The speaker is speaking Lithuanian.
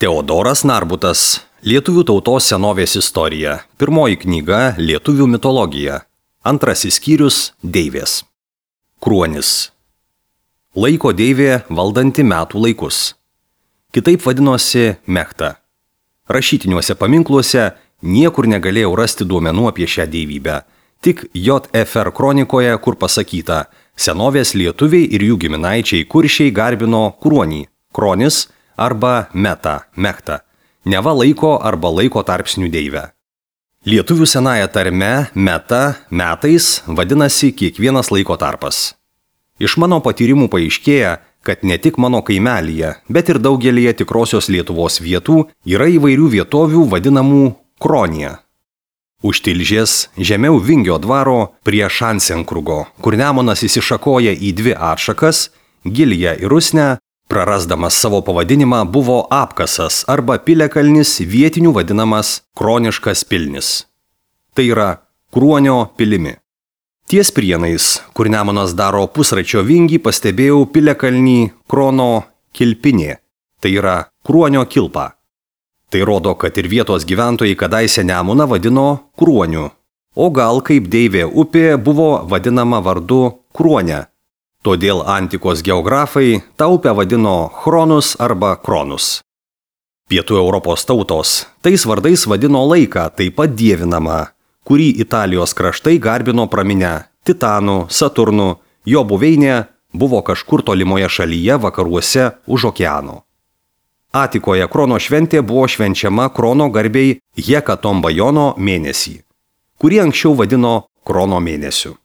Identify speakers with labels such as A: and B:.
A: Teodoras Narbutas. Lietuvių tautos senovės istorija. Pirmoji knyga Lietuvių mitologija. Antrasis skyrius Deivės. Kruonis. Laiko deivė valdanti metų laikus. Kitaip vadinosi Mechta. Rašytiniuose paminkluose niekur negalėjau rasti duomenų apie šią deivybę. Tik JFR kronikoje, kur pasakyta, senovės lietuviai ir jų giminaičiai kuršiai garbino Kruonį, Kronis arba Mechta, neva laiko arba laiko tarpsnių deivę. Lietuvių senąja tarme Meta metais vadinasi kiekvienas laiko tarpas. Iš mano patyrimų paaiškėja, kad ne tik mano kaimelyje, bet ir daugelyje tikrosios Lietuvos vietų yra įvairių vietovių vadinamų Kronija. Už Tilžės, žemiau Vingio dvaro, prie Šansenkrugo, kur Nemunas įsišakoja į dvi atšakas, Gilją ir Rusnę, prarasdamas savo pavadinimą buvo apkasas arba piliakalnis vietinių vadinamas Kroniškas pilnis. Tai yra Kruonio pilimi. Ties Prienais, kur Nemunas daro pusračio vingį, pastebėjau piliakalnį Krono kilpinė. Tai yra Kruonio kilpa. Tai rodo, kad ir vietos gyventojai kadaise Nemuną vadino Kruoniu. O gal kaip deivė upė buvo vadinama vardu Kruonė. Todėl antikos geografai tą upę vadino Chronus arba Kronus. Pietų Europos tautos tais vardais vadino laiką, taip pat dievinamą, kurį Italijos kraštai garbino praminę Titanu, Saturnu, jo buveinė buvo kažkur tolimoje šalyje vakaruose už okeano. Atikoje Krono šventė buvo švenčiama Krono garbei Hekatombajono mėnesį, kurį anksčiau vadino Krono mėnesiu.